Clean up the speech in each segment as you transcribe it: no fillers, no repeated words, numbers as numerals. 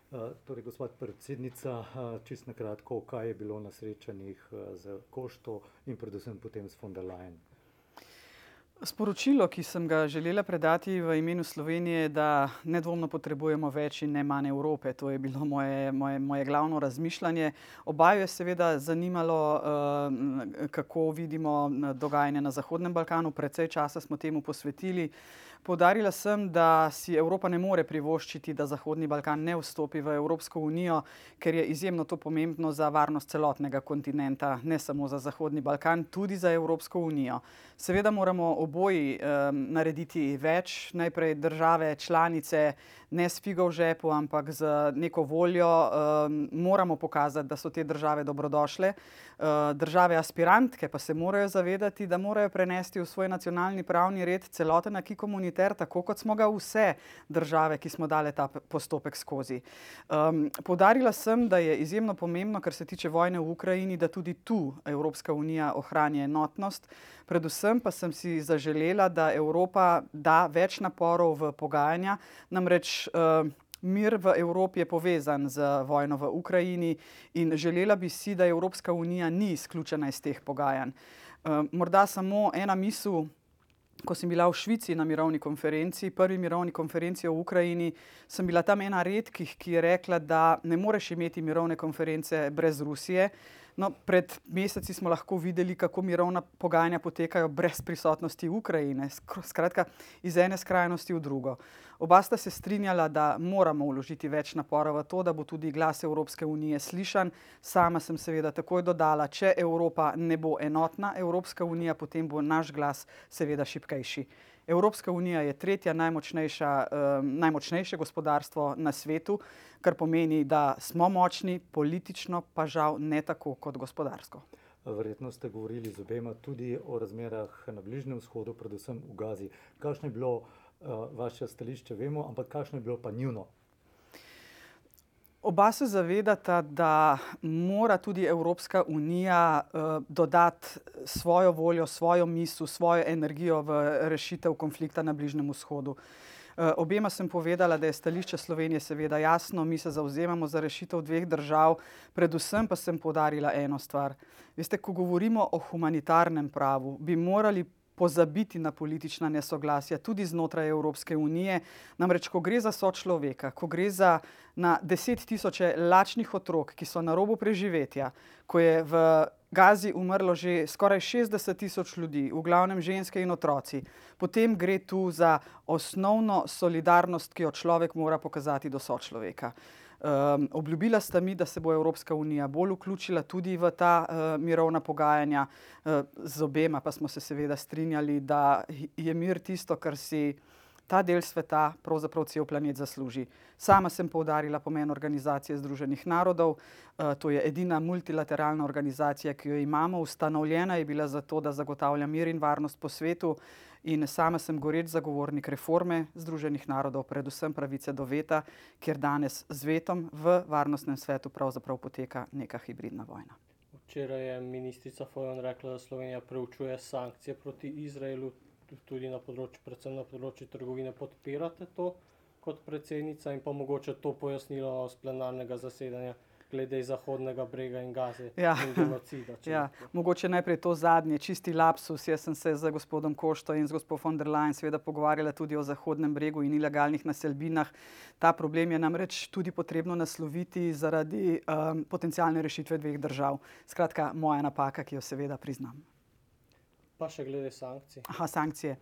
Torej, gospod predsednica, čisto na kratko, kaj je bilo na srečanjih z Košto in predvsem potem s von der Leyen? Sporočilo, ki sem ga želela predati v imenu Slovenije, je, da nedvomno potrebujemo več in ne manj Evrope. To je bilo moje glavno razmišljanje. Obaju je seveda zanimalo, kako vidimo dogajanje na Zahodnem Balkanu. Precej časa smo temu posvetili. Poudarila sem, da si Evropa ne more privoščiti, da Zahodni Balkan ne vstopi v Evropsko unijo, ker je izjemno to pomembno za varnost celotnega kontinenta, ne samo za Zahodni Balkan, tudi za Evropsko unijo. Seveda moramo oboji narediti več, najprej države članice, ne s figo v žepu, ampak z neko voljo moramo pokazati, da so te države dobrodošle. Države aspirantke pa se morajo zavedati, da morajo prenesti v svoj nacionalni pravni red celoten acquis communautaire, tako kot smo ga vse države, ki smo dale ta postopek skozi. Poudarila sem, da je izjemno pomembno, kar se tiče vojne v Ukrajini, da tudi tu Evropska unija ohranja enotnost. Predvsem pa sem si zaželela, da Evropa da več naporov v pogajanja, namreč mir v Evropi je povezan z vojno v Ukrajini in želela bi si, da Evropska unija ni izključena iz teh pogajanj. Morda samo ena misel. Ko sem bila v Švici na mirovni konferenci, prvi mirovni konferenci o Ukrajini, sem bila tam ena redkih, ki je rekla, da ne moreš imeti mirovne konference brez Rusije. No, pred meseci smo lahko videli, kako mirovna pogajanja potekajo brez prisotnosti Ukrajine, skratka iz ene skrajnosti v drugo. Oba sta se strinjala, da moramo vložiti več napora v to, da bo tudi glas Evropske unije slišan. Sama sem seveda takoj dodala, če Evropa ne bo enotna, Evropska unija, potem bo naš glas seveda šibkejši. Evropska unija je tretja najmočnejše gospodarstvo na svetu, kar pomeni, da smo močni, politično pa žal ne tako kot gospodarsko. Verjetno ste govorili z obema tudi o razmerah na Bližnjem vzhodu, predvsem v Gazi. Kakšno je bilo vaše stališče, vemo, ampak kakšno je bilo pa njuno? Oba se zavedata, da mora tudi Evropska unija dodati svojo voljo, svojo misel, svojo energijo v rešitev konflikta na Bližnjem vzhodu. Obema sem povedala, da je stališče Slovenije seveda jasno, mi se zavzemamo za rešitev dveh držav, predvsem pa sem poudarila eno stvar. Veste, ko govorimo o humanitarnem pravu, bi morali pozabiti na politična nesoglasja tudi znotraj Evropske unije. Namreč, ko gre za sočloveka, ko gre za na 10 tisoče lačnih otrok, ki so na robu preživetja, ko je v Gazi umrlo že skoraj 60 tisoč ljudi, v glavnem ženske in otroci, potem gre tu za osnovno solidarnost, ki jo človek mora pokazati do sočloveka. Obljubila sta mi, da se bo Evropska unija bolj vključila tudi v ta mirovna pogajanja. Z obema pa smo se seveda strinjali, da je mir tisto, kar si ta del sveta, pravzaprav cel planet zasluži. Sama sem poudarila pomen Organizacije združenih narodov. To je edina multilateralna organizacija, ki jo imamo. Ustanovljena je bila zato, da zagotavlja mir in varnost po svetu. In sama sem goreč zagovornik reforme Združenih narodov, predvsem pravice do veta, kjer danes z vetom v varnostnem svetu pravzaprav poteka neka hibridna vojna. Včeraj je ministrica Fajon rekla, da Slovenija preučuje sankcije proti Izraelu, tudi predvsem na področju trgovine. Podpirate to kot predsednica in pa mogoče to pojasnilo z plenarnega zasedanja glede Zahodnega brega in Gaze in genocida. Mogoče najprej to zadnje, čisti lapsus. Jaz sem se z gospodom Košto in z gospod von der Leyen seveda pogovarjala tudi o Zahodnem bregu in ilegalnih naselbinah. Ta problem je namreč tudi potrebno nasloviti zaradi potencialne rešitve dveh držav. Skratka, moja napaka, ki jo seveda priznam. Pa še glede sankcij. Sankcije.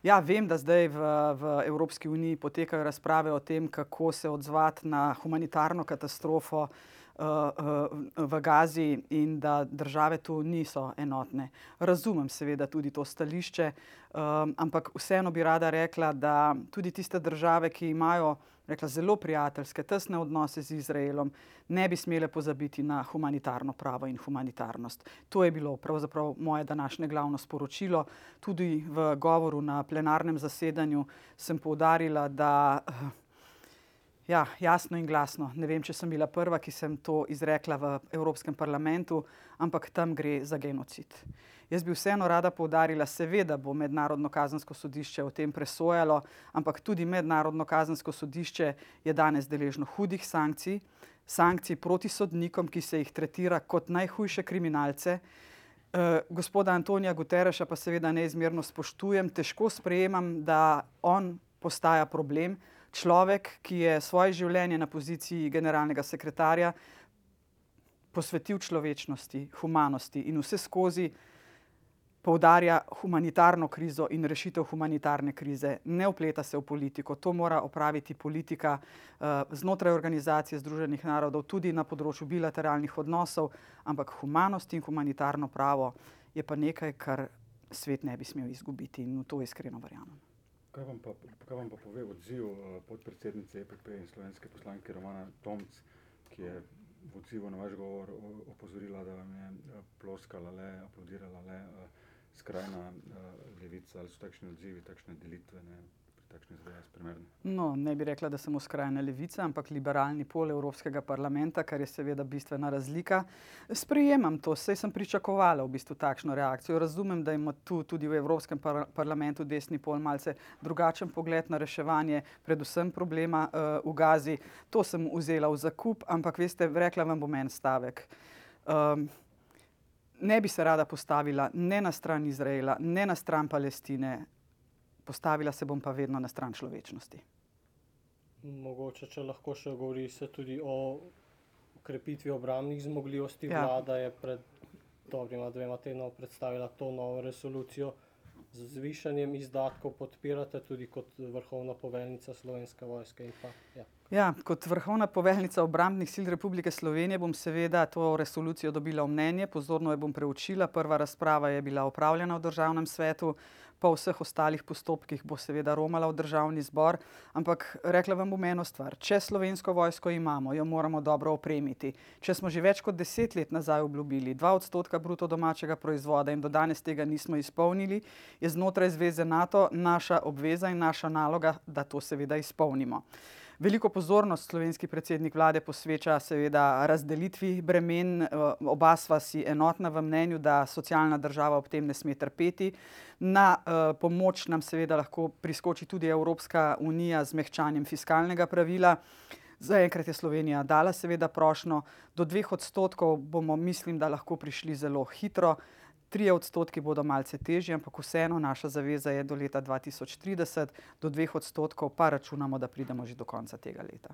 Ja, vem, da zdaj v Evropski uniji potekajo razprave o tem, kako se odzvati na humanitarno katastrofo v Gazi in da države tu niso enotne. Razumem seveda tudi to stališče, ampak vseeno bi rada rekla, da tudi tiste države, ki imajo zelo prijateljske, tesne odnose z Izraelom, ne bi smele pozabiti na humanitarno pravo in humanitarnost. To je bilo pravzaprav moje današnje glavno sporočilo. Tudi v govoru na plenarnem zasedanju sem poudarila, da Ja, jasno in glasno. Ne vem, če sem bila prva, ki sem to izrekla v Evropskem parlamentu, ampak tam gre za genocid. Jaz bi vseeno rada poudarila, seveda bo Mednarodno kazensko sodišče o tem presojalo, ampak tudi Mednarodno kazensko sodišče je danes deležno hudih sankcij, sankcij proti sodnikom, ki se jih tretira kot najhujše kriminalce. Gospoda Antonija Guterreša pa seveda neizmerno spoštujem, težko sprejemam, da on postaja problem. Človek, ki je svoje življenje na poziciji generalnega sekretarja posvetil človečnosti, humanosti in vse skozi poudarja humanitarno krizo in rešitev humanitarne krize. Ne vpleta se v politiko, to mora opraviti politika znotraj Organizacije Združenih narodov, tudi na področju bilateralnih odnosov, ampak humanost in humanitarno pravo je pa nekaj, kar svet ne bi smel izgubiti in v to iskreno verjamem. Kaj vam pa pove odziv podpredsednice EPP in slovenske poslanke Romane Tomc, ki je v odzivu na vaš govor opozorila, da vam je ploskala le, aplaudirala le skrajna levica, ali so takšni odzivi, takšne delitve, takšne zadeve primerne? No, ne bi rekla, da sem skrajna levica, ampak liberalni pol Evropskega parlamenta, kar je seveda bistvena razlika. Sprejemam to, saj sem pričakovala v bistvu takšno reakcijo. Razumem, da ima tu tudi v Evropskem parlamentu desni pol malce drugačen pogled na reševanje, predvsem problema v Gazi. To sem vzela v zakup, ampak veste, rekla vam bom en stavek. Ne bi se rada postavila ne na stran Izraela, ne na stran Palestine. Postavila se bom pa vedno na stran človečnosti. Mogoče, če lahko še govori se tudi o krepitvi obrambnih zmogljivosti. Vlada je pred dobrima 2 tednoma predstavila to novo resolucijo. Z zvišanjem izdatkov podpirate tudi kot vrhovna poveljnica Slovenske vojske in pa, Ja, kot vrhovna poveljnica obrambnih sil Republike Slovenije bom seveda to resolucijo dobila v mnenje, pozorno jo bom preučila. Prva razprava je bila opravljena v Državnem svetu, po vseh ostalih postopkih bo seveda romala v Državni zbor, ampak rekla vam bom eno stvar. Če Slovensko vojsko imamo, jo moramo dobro opremiti. Če smo že več kot 10 let nazaj obljubili 2% bruto domačega proizvoda in do danes tega nismo izpolnili, je znotraj Zveze NATO naša obveza in naša naloga, da to seveda izpolnimo. Veliko pozornost slovenski predsednik vlade posveča seveda razdelitvi bremen. Oba sva si enotna v mnenju, da socialna država ob tem ne sme trpeti. Na pomoč nam seveda lahko priskoči tudi Evropska unija z mehčanjem fiskalnega pravila. Zaenkrat je Slovenija dala seveda prošnjo. Do 2% bomo, mislim, da lahko prišli zelo hitro. 3% bodo malce težji, ampak vseeno naša zaveza je do leta 2030, do 2% pa računamo, da pridemo že do konca tega leta.